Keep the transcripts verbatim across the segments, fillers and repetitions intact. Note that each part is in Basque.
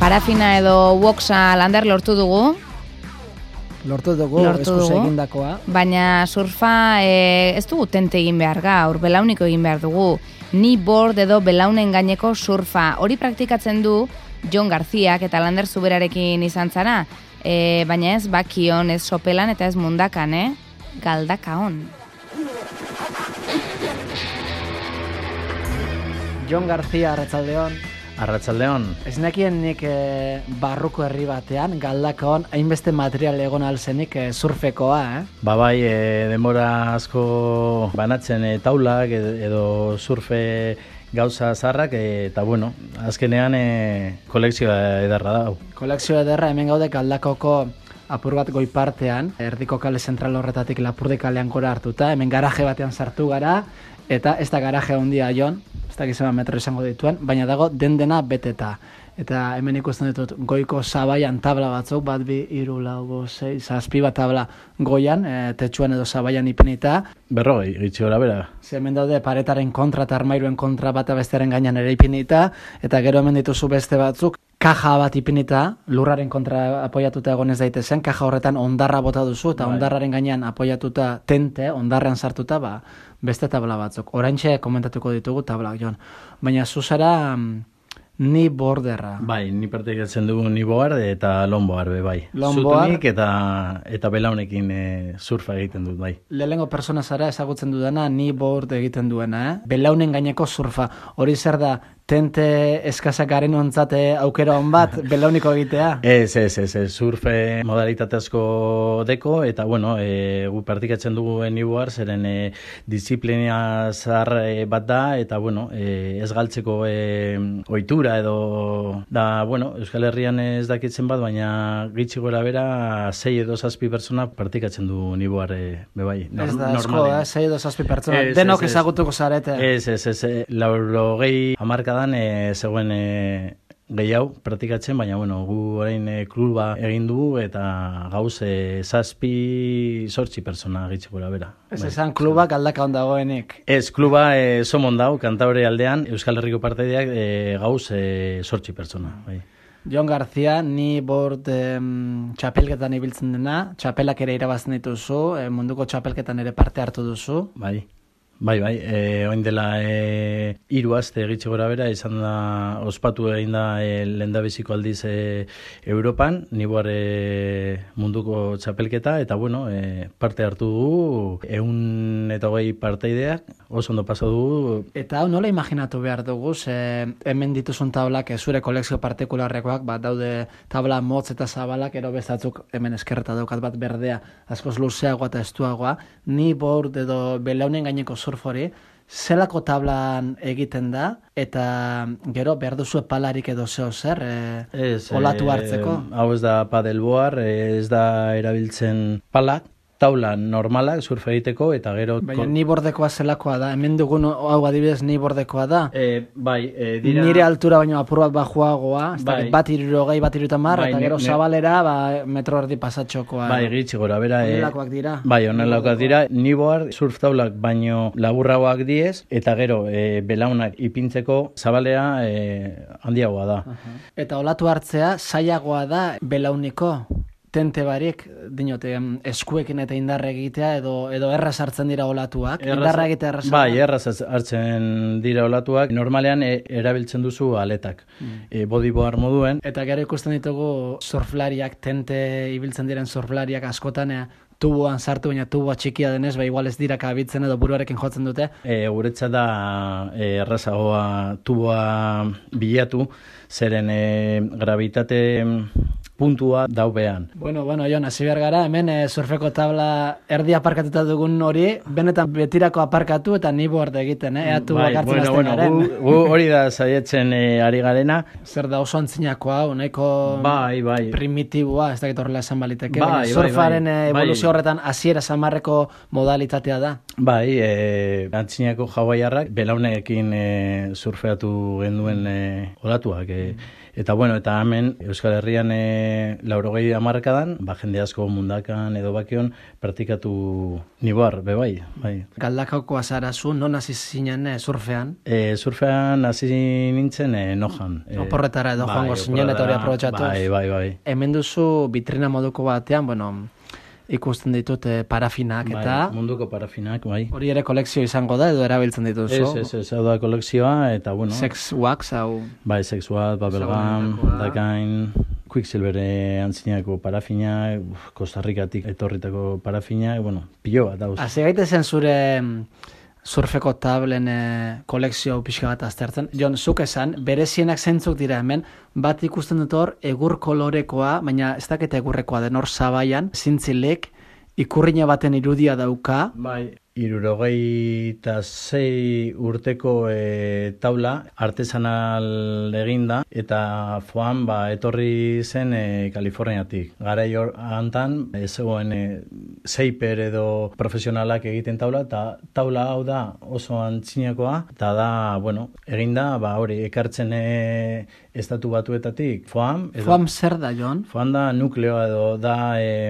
parafina edo woxa lander lortu dugu. Lortu dugu, eskuz egindakoa. Baina surfa e, ez dugu tente egin behar gaur, belauniko egin behar dugu. Ni board edo belaunen gaineko surfa. Hori praktikatzen du Jon Garziak eta Lander Zuberarekin izan zara. E, baina ez bakion, ez sopelan eta ez mundakan, eh? Galdakaon. Jon Garzia, arratsaldeon. Arratsaldeon. Ez nekien nik e, barruko herri batean, Galdakaon, hainbeste material egon alzenik e, surfekoa, eh? Ba bai, e, denbora asko banatzen e, taulak edo, edo surfe gauza zarrak, e, eta bueno, azkenean e, kolekzioa ederra da. Kolekzio ederra, hemen gaude Galdakoko apur bat goi partean, erdiko kale zentral horretatik Lapurdi kalean gora hartuta, hemen garaje batean sartu gara, eta ez da garaje handia Jon, ez da gizema metro izango dituen, baina dago den dena beteta. Eta hemen ikusten ditut goiko zabaian tabla batzuk, bat bi, hiru, lau, bost, sei, zazpi bat tabla goian, e, tetsuan edo zabaian ipinita. Berrogei, gitxi gora bera. Ze hemen daude paretaren kontra eta armairuen kontra bata bestearen gainean ere ipinita, eta gero hemen dituzu beste batzuk, kaja bat ipinita, lurraren kontra apoiatuta egon ez daitezen, kaja horretan ondarra bota duzu, eta bai. Ondarraren gainean apoiatuta tente, ondarrean sartuta, ba, beste tabla batzuk. Oraintxe komentatuko ditugu tablak, Jon. Baina zuzara ni borderra. Bai, ni partekatzen dugu ni board eta longboard be bai. Longboard eta eta belaunekin e, surfa egiten dut bai. Lehengo persona zara ezagutzen dudana ni board egiten duena, eh? Belaunen gaineko surfa. Hori zer da? Tente eskazak garen ontzate aukera hon bat, belauniko egitea? Ez, ez, ez, ez, surfe modalitate asko deko, eta bueno, e, gu partikatzen dugu niboar, zeren e, disiplina zahar e, bat da, eta bueno, e, ez galtzeko e, ohitura edo, da, bueno, Euskal Herrian ez dakitzen bat, baina gitxi gora bera, sei edo zazpi pertsona partikatzen du niboar e, bebai. Ez da, esko, eh, sei edo zazpi pertsona, ez, denok ez, ezagutuko zarete. Ez, ez, ez, ez, lauro gehi amarka dan e, zegoen e, gehiago praktikatzen, baina bueno, gu orain e, kluba egin dugu eta gauz e, zazpi sortzi pertsona gitxe gora bera. Ez esan kluba Galdakaon dagoenik. Ez, kluba e, somon dau, Kantabre aldean, Euskal Herriko parteideak e, gauz e, sortzi pertsona. Bai. Jon Garzia, ni board em, txapelketan ibiltzen dena, txapelak ere irabazten dituzu, e, munduko txapelketan ere parte hartu duzu. Bai. Bai, bai, e, oin dela e, hiru aste gitxe gora bera, izan da, ospatu egin da e, lehendabiziko aldiz e, Europan, niboar e, munduko txapelketa, eta bueno, e, parte hartu dugu, ehun eta hogei parteideak, oso ondo pasa dugu. Eta hau nola imaginatu behar dugu, ze hemen dituzun tablak, zure kolekzio partikularrekoak, bat daude tabla motz eta zabalak, ero bestatzuk hemen eskerreta daukat bat berdea, askoz luzeagoa eta estuagoa, ni board edo belaunen gaineko surfori, zelako tablan egiten da, eta gero behar duzu palarik edo zeo zer, e, ez, olatu hartzeko? E, hau ez da padelboar, ez da erabiltzen palak, taula normalak surf egiteko, eta gero... Baina ni bordekoa zelakoa da, hemen dugun hau adibidez ni bordekoa da. E, bai, e, dira... Nire altura baino apur bat bajuagoa, bai. Bat irurogei, bat irutamar, bai, eta gero ne, zabalera ba, metro erdi pasatxokoa. Bai, gitxi gora, bera... Onelakoak dira. Bai, onelakoak dira. Niboar surf taulak baino laburragoak diez, eta gero e, belaunak ipintzeko zabalea e, handiagoa da. Uh-huh. Eta olatu hartzea zailagoa da belauniko? Tente barik, dinote, eskuekin eta indarra egitea, edo, edo erraz hartzen dira olatuak, erraz, indarra egitea erraz. Bai, erraz hartzen dira olatuak, normalean e, erabiltzen duzu aletak, mm. e, bodyboard moduen. Eta gero ikusten ditugu surflariak, tente ibiltzen diren surflariak askotan, e, tuboan sartu, baina tuboa txikia denez, ba igual ez dira kabitzen edo buruarekin jotzen dute. E, guretzat da e, errazagoa tuboa bilatu, zeren e, gravitate puntua daubean. Bueno, bueno, Jon, hasi behar gara, hemen e, surfeko tabla erdi aparkatuta dugun hori, benetan betirako aparkatu eta ni board egiten, eh? Eatu bai, bakartzen bueno, azten bueno, garen. Gu, gu hori da saietzen e, ari garena. Zer da oso antzinakoa, nahiko bai, bai. primitiboa, ez dakit horrela esan baliteke. Bai, baina surfaren bai, bai. evoluzio horretan hasiera samarreko modalitatea da. Bai, e, antzinako hawaiarrak belaunekin e, surfeatu genduen e, olatuak. E, Eta bueno, eta hemen Euskal Herrian e, laurogei hamarkadan, ba, jende asko mundakan edo bakion praktikatu niboar, bebai. Bai. Galdakaoko azarazu, non hasi zinen e, surfean? E, surfean hasi nintzen e, nojan. E, oporretara edo joango zinen eta hori aprobetxatuz. Bai, bai, bai. Hemen duzu vitrina moduko batean, bueno, ikusten ditut eh, parafinak eta... Bai, munduko parafinak, bai. Hori ere kolekzio izango da edo erabiltzen dituzu? Ez, ez, ez, hau da kolekzioa eta, bueno... Sex wax, hau... Bai, sex wax, bubblegum, dakain, Quicksilver antzinako parafinak, Kostarrikatik etorritako parafinak, bueno, pilo bat, hau. Hase gaitezen zure surfeko tablen e, kolekzio pixka bat aztertzen. Jon, zuk esan, berezienak zeintzuk dira hemen, bat ikusten dut hor, egur kolorekoa, baina ez dakit egurrekoa den hor zabaian, zintzilik, ikurrina baten irudia dauka. Bai, hirurogeita sei urteko e, taula, artesanal eginda, eta foan ba, etorri zen e, Kaliforniatik. Garai hor hantan, ez zegoen e, seiper edo profesionalak egiten taula, eta taula hau da oso antzinakoa, eta da, bueno, eginda, ba, hori, ekartzen e, estatu batuetatik, foam. Edo, foam zer da, Jon? Foam da nukleoa edo da e,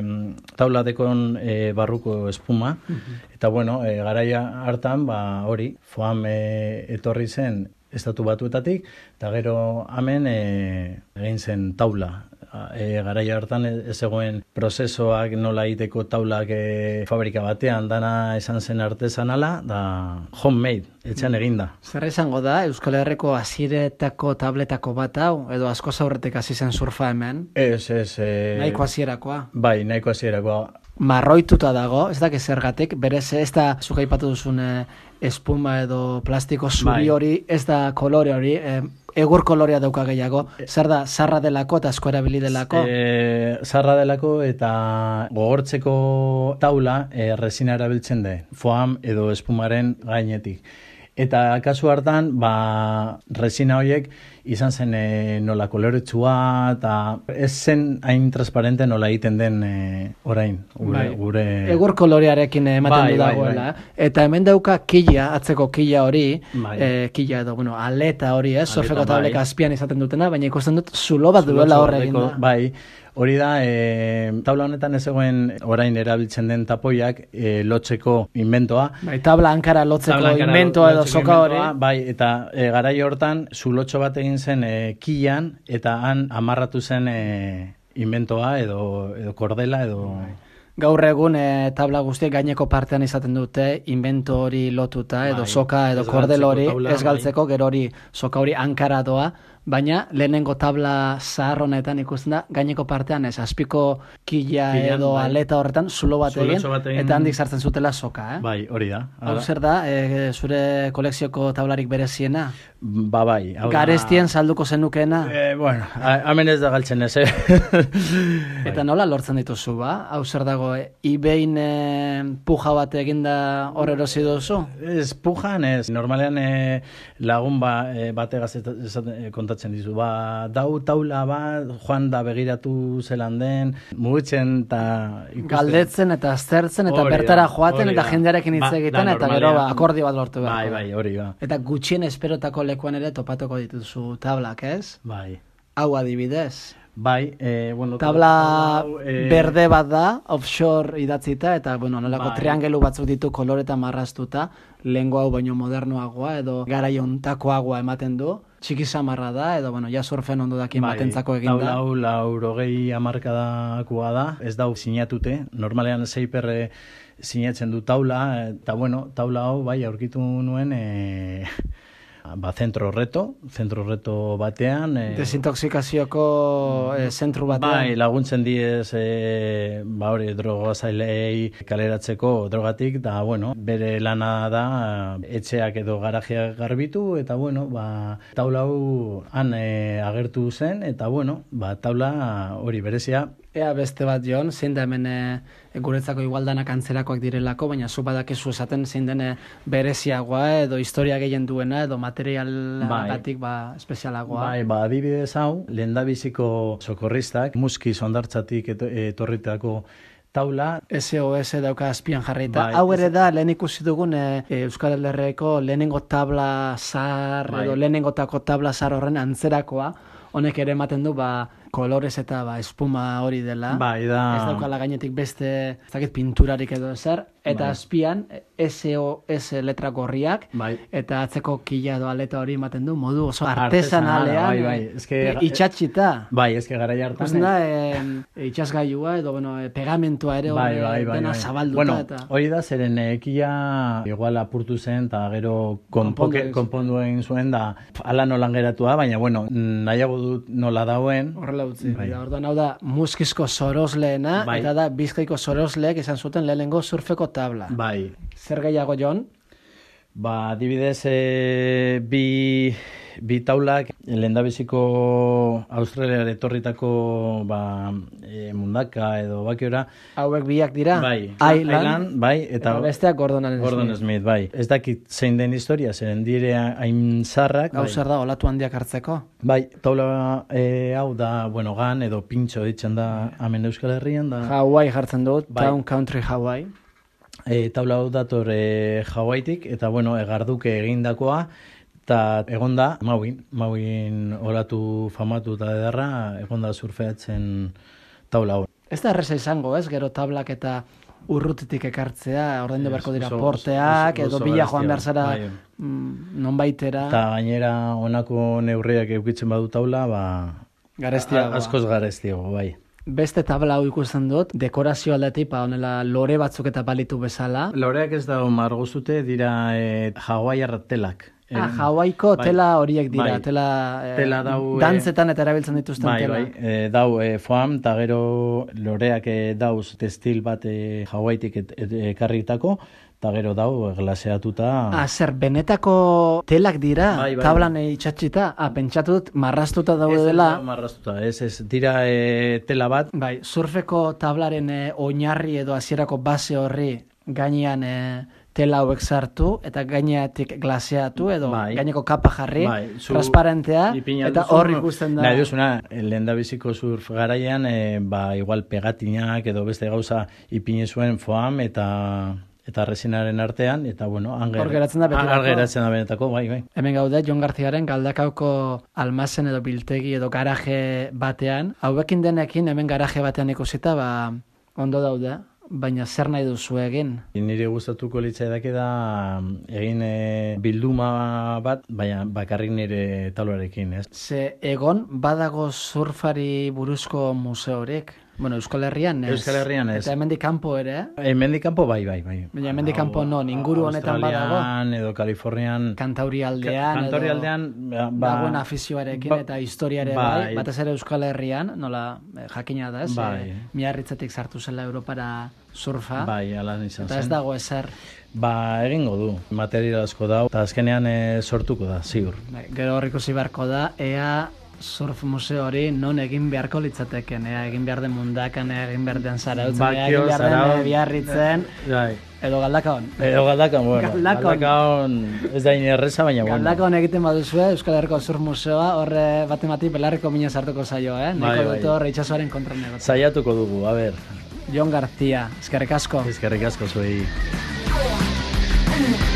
taula dekon e, barruko espuma, uh-huh. Eta bueno, e, garaia hartan, ba, hori, foam e, etorri zen estatu batuetatik, eta gero hemen e, egin zen taula. E, garaia hartan ez zegoen prozesoak nola egiteko taulak e, fabrika batean, dana esan zen artesanala, da homemade, etxean eginda. Zer izango da, Euskal Herriko hasiretako tabletako bat hau, edo asko zaurretek hasi zen surfa hemen? Ez, ez. E... Nahiko hasierakoa? Bai, nahiko hasierakoa. Marroituta dago, ez dakit zergatik, berez ez da zuk aipatu duzun eh, espuma edo plastiko zuri hori, ez da kolore hori, eh, egur kolorea dauka gehiago. Zer da, zarra delako eta asko erabili delako? E, zarra delako eta gogortzeko taula e, resina erabiltzen de, foam edo espumaren gainetik. Eta kasu hartan, ba, resina horiek izan zen e, nola koloretsua eta ez zen hain transparente nola egiten den e, orain. Gure, bai. gure... Egur kolorearekin ematen bai, du dagoela. Bai, bai. Eta hemen dauka kila, atzeko kila hori, bai. e, kila edo, bueno, aleta hori, eh? Surfeko tablek bai. Azpian izaten dutena, baina ikusten dut zulo bat duela horregin da. Bai. Hori da, e, taula honetan ez egoen orain erabiltzen den tapoiak e, lotzeko inventoa. Bai, tabla hankara lotzeko tabla inventoa edo soka hori. Bai, eta e, garai hortan zulotxo bat egin zen e, kilan eta han amarratu zen e, inventoa edo, edo kordela edo... Bai. Gaur egun e, tabla guztiek gaineko partean izaten dute invento hori lotuta edo bai, soka edo kordel hori ez galtzeko, bai. Gero hori soka hori hankara doa. Baina lehenengo tabla zahar honetan ikusten da, gaineko partean ez, azpiko kila edo bai. Aleta horretan zulo bat egin, egin, eta handik sartzen zutela soka, eh? Bai, hori da. Hau zer da, e, zure kolekzioko tablarik bereziena? Ba, bai. Garestien salduko zenukena? E, bueno, hemen ez da galtzen ez, eh? Eta nola lortzen dituzu, ba? Hau zer dago, eBayn e, puja bat eginda hor erosi duzu? Ez, pujan ez. Normalean e, lagun ba, e, bategaz kontatzen dizu, ba, dau taula bat, joan da begiratu zelan den, mugitzen eta ikusten. Galdetzen eta aztertzen eta ori bertara da, joaten eta jendearekin hitz egiten ba, eta gero ba, akordio bat lortu behar. Bai, bai, hori ba. Eta gutxien esperotako lekuan ere topatuko dituzu tablak, ez? Bai. Hau adibidez. Bai, eh, bueno, tabla eh... berde bat da, offshore idatzita, eta, bueno, nolako bai. Triangelu batzuk ditu koloreta marraztuta, lehengo hau baino modernoagoa, edo garaiontakoagoa ematen du, txiki samarra da, edo, bueno, ja surfen ondo dakin bai. Batentzako egin da. Tabla hau laurogei hamarkadakoa da, ez dau sinatute, normalean seiperre sinatzen du taula, eta, bueno, taula hau, bai, aurkitu nuen, eh... ba, zentro reto, zentro reto batean. E, Desintoxikazioko e, zentru batean. Bai, laguntzen diez, e, ba hori, drogazailei kaleratzeko drogatik, da, bueno, bere lana da, etxeak edo garajeak garbitu, eta, bueno, ba, taula hau han e, agertu zen, eta, bueno, ba, taula hori berezia. Ea beste bat, Jon, zein da hemen e, guretzako igualdanak antzerakoak direlako, baina zu badakizu esaten zein den bereziagoa edo historia gehien duena edo materialagatik bai. Ba, espezialagoa. Bai, ba, adibidez hau, lehendabiziko sokorristak, muskiz ondartzatik etorritako taula. S O S dauka azpian jarrita. Bai, Hau ere ez- da, lehen ikusi dugun e, e, Euskal Herriko lehenengo tabla zar, Bai. edo lehenengotako tabla zar horren antzerakoa, honek ere ematen du, ba, kolorez eta ba, espuma hori dela. Bai, da... Ez daukala gainetik beste, ez dakit pinturarik edo ezer, eta Bai. azpian S O S letra gorriak, Bai. eta atzeko kila edo aleta hori ematen du, modu oso Artesanala, artesanalean, bai, bai. eh, Ez que- e, itxatxita. Bai, ez que garai hartan... Ikusten da, e, itxasgailua edo, bueno, e, pegamentua ere Bai, hor, bai, e, bai, dena bai. zabalduta Bueno, eta... hori da, zeren ekia igual apurtu zen, eta gero Konpondu konpoke, egin zuen. konpondu egin zuen, da ala nolan geratua, baina, bueno, nahiago dut nola dauen. Horrela utzi. Bai. Da, orduan hau da muskizko sorosleena, Bai. eta da bizkaiko sorosleek izan zuten lehenengo surfeko tabla. Bai. Zer gehiago, Jon? Ba, adibidez, e, bi, bi taulak, lehendabiziko Australiara etorritako ba, e, mundaka edo bakiora, Hauek biak dira? bai, Island, bai, eta, eta, besteak Gordon Allen Gordon Smith. Smith, bai. Ez dakit zein den historia, zeren dire hain zarrak. Hau bai. zer da, olatu handiak hartzeko? Bai, taula e, hau da, bueno, gan edo pintxo ditzen da hemen Euskal Herrian, da... Hawaii jartzen dut, Bai. Town Country Hawaii. E, taula hau dator e, Hawaiitik, eta bueno, egarduke egindakoa, eta egonda Mauin, Mauin olatu famatu eta ederra, egonda surfeatzen taula hau. Ez da erreza izango, ez? Gero tablak eta urrutitik ekartzea, ordaindu Ez, beharko dira oso- porteak, oso- edo oso bila joan garestia, behar zara bai. mm, nonbaitera, Eta gainera honako neurriak eukitzen badu taula, ba... garestiagoa. a- Askoz garestiago, bai. Beste tabla hau ikusten dut, dekorazio aldetik, ba, honela lore batzuk eta balitu bezala. Loreak ez da margozute dira e, Hawaiiar telak. Ah, Eh, Hawaiko bai. tela horiek dira, Bai. tela, eh, Tela dau, eh, dantzetan eta erabiltzen dituzten Bai, tela. bai, e, dau e, foam, eta gero loreak e, dauz testil bat e, Hawaiitik et- et- ekarritako, eta gero dau e, glaseatuta... Ah, zer, benetako telak dira, Bai, bai. tablan itxatxita, ah, pentsatu dut marraztuta daude Ez dela. da marraztuta, ez, ez, dira e, tela bat, Bai, surfeko tablaren eh, oinarri edo hasierako base horri gainean eh, tela hauek sartu eta gaineatik glaseatu edo Bai. gaineko kapa jarri, bai, zu transparentea, ipina eta duzu, hor ikusten da. Nahi duzuna, lehen da biziko surf garaian, e, ba, igual pegatinak edo beste gauza ipine zuen foam eta eta resinaren artean, eta bueno, anger, Hor geratzen da betirako. Hor geratzen da benetako, bai, bai. Hemen gaude, Jon Garziaren Galdakaoko almazen edo biltegi edo garaje batean. Hauekin denekin hemen garaje batean ikusita, ba, ondo daude, baina zer nahi duzu egin? Nire gustatuko litzaidake da egin e, bilduma bat, baina bakarrik nire taularekin, ez? Ze egon badago surfari buruzko museorik? Bueno, Euskal Herrian ez. Euskal Herrian ez. Eta hemendik kanpo ere, eh? Hemendik kanpo bai, bai, bai. Baina hemendik kanpo non, inguru honetan badago? Australian edo Kalifornian. Kantauri aldean, Kantauri edo aldean, ba, dagoen afizioarekin ba- eta historiare bai, bai. batez ere Euskal Herrian, nola eh, jakina da, ez? Bai. Eh, Miarritzetik sartu zela Europara surfa, Bai, alan izan eta ez zen. dago ezer. Ba, egingo du, material asko da, eta azkenean e, sortuko da, ziur. Bai, gero hor ikusi beharko da, ea surf museo hori non egin beharko litzateken, ea egin behar den mundakan, ea egin behar den zarautzen, ea Bakio, egin behar den Zarautz. eh, Biarritzen, Bai. edo Galdakaon. Edo galdakon, bueno, Galdakon. galdakon ez da inerreza, baina bueno. Galdakaon egiten baduzue, Euskal Herriko Surf Museoa, horre batemati belarriko mina sartuko zaio, eh? Bai, Nahiko bai. dut hor itxasoaren kontra negotzen. Saiatuko dugu, a ber, Jon García, eskerrik asko. ezkerrik asko zuei. Thank you.